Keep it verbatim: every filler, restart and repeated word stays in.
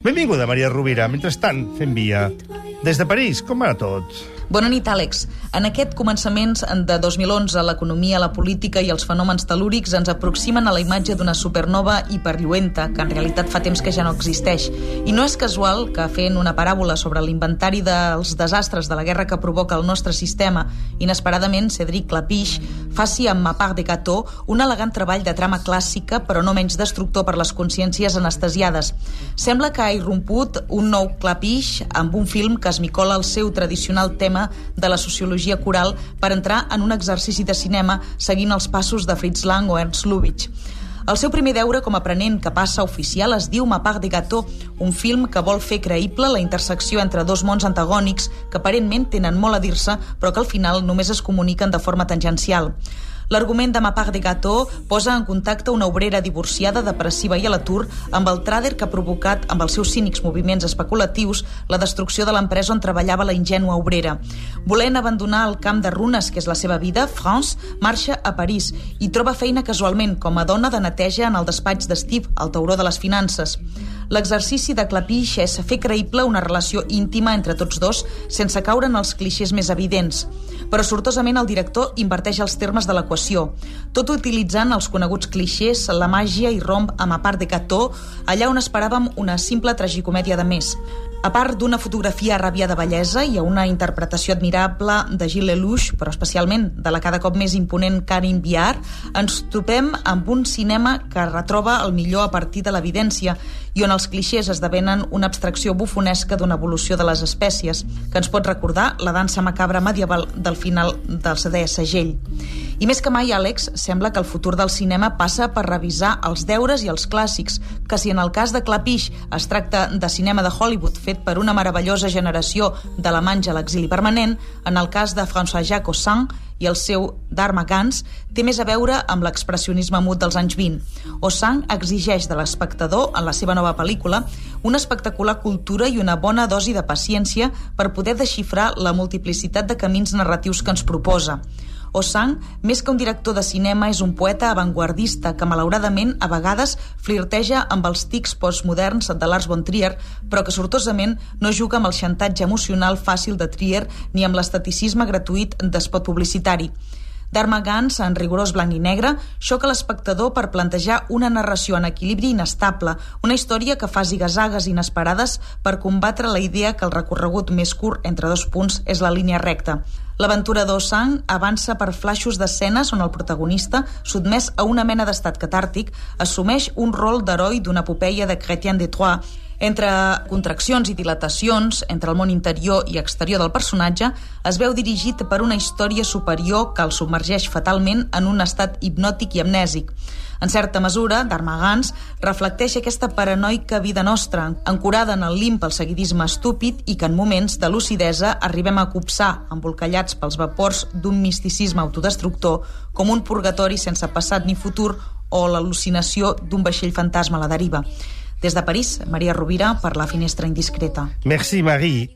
Benvinguda, Maria Rovira. Mentrestant, fem via. Des de París, com va tot? Bona nit, Àlex. En aquest començaments de dos mil onze, l'economia, la política i els fenòmens telúrics ens aproximen a la imatge d'una supernova hiperlluenta, que en realitat fa temps que ja no existeix. I no és casual que, fent una paràbola sobre l'inventari dels desastres de la guerra que provoca el nostre sistema, inesperadament, Cédric Clapiche faci amb Ma part de gâteau un elegant treball de trama clàssica, però no menys destructor per les consciències anestesiades. Sembla que ha irromput un nou Clapiche amb un film que esmicola el seu tradicional tema de la sociologia coral per entrar en un exercici de cinema seguint els passos de Fritz Lang o Ernst Lubitsch. El seu primer deure com a aprenent que passa oficial es diu Ma part de gâteau, un film que vol fer creïble la intersecció entre dos mons antagònics que aparentment tenen molt a dir-se, però que al final només es comuniquen de forma tangencial. L'argument de Ma part de gâteau posa en contacte una obrera divorciada, depressiva i a l'atur amb el tràder que ha provocat, amb els seus cínics moviments especulatius, la destrucció de l'empresa on treballava la ingènua obrera. Volent abandonar el camp de runes, que és la seva vida, France marxa a París i troba feina casualment com a dona de neteja en el despatx de Steve, el tauró de les finances. L'exercici de Clapiche és fer creïble una relació íntima entre tots dos sense caure en els clixés més evidents. Però sortosament el director inverteix els termes de l'equació. Tot utilitzant els coneguts clixés, la màgia irromp a Ma part de gâteau, allà on esperàvem una simple tragicomèdia de més. A part d'una fotografia ràbia de bellesa i a una interpretació admirable de Gilles Lelouch, però especialment de la cada cop més imponent Karine Viard, ens topem amb un cinema que retroba el millor a partir de l'evidència i on els clixés esdevenen una abstracció bufonesca d'una evolució de les espècies, que ens pot recordar la dansa macabra medieval del final del setè segell. I més que mai, Àlex, sembla que el futur del cinema passa per revisar els deures i els clàssics, que si en el cas de Clapiche es tracta de cinema de Hollywood fet per una meravellosa generació d'alemanys a l'exili permanent, en el cas de François-Jacques Ozon i el seu Dharma Gans té més a veure amb l'expressionisme mut dels anys vint. Ozon exigeix de l'espectador, en la seva nova pel·lícula, una espectacular cultura i una bona dosi de paciència per poder desxifrar la multiplicitat de camins narratius que ens proposa. Ozon, més que un director de cinema, és un poeta avantguardista que, malauradament, a vegades flirteja amb els tics postmoderns de Lars von Trier, però que sortosament no juga amb el xantatge emocional fàcil de Trier ni amb l'esteticisme gratuït d'espot publicitari. Dharma Gans, en rigorós blanc i negre, xoca l'espectador per plantejar una narració en equilibri inestable, una història que fa zigazagues inesperades per combatre la idea que el recorregut més curt entre dos punts és la línia recta. L'aventura d'Ozon avança per flaixos d'escenes on el protagonista, sotmès a una mena d'estat catàrtic, assumeix un rol d'heroi d'una epopeia de Chrétien de Troyes. Entre contraccions i dilatacions, entre el món interior i exterior del personatge, es veu dirigit per una història superior que el submergeix fatalment en un estat hipnòtic i amnèsic. En certa mesura, Dharma Gans reflecteix aquesta paranoica vida nostra, ancorada en el limp pel seguidisme estúpid i que en moments de lucidesa arribem a copsar, embolcallats pels vapors d'un misticisme autodestructor, com un purgatori sense passat ni futur o l'al·lucinació d'un vaixell fantasma a la deriva. Des de París, Maria Rovira per La Finestra Indiscreta. Merci, Marie.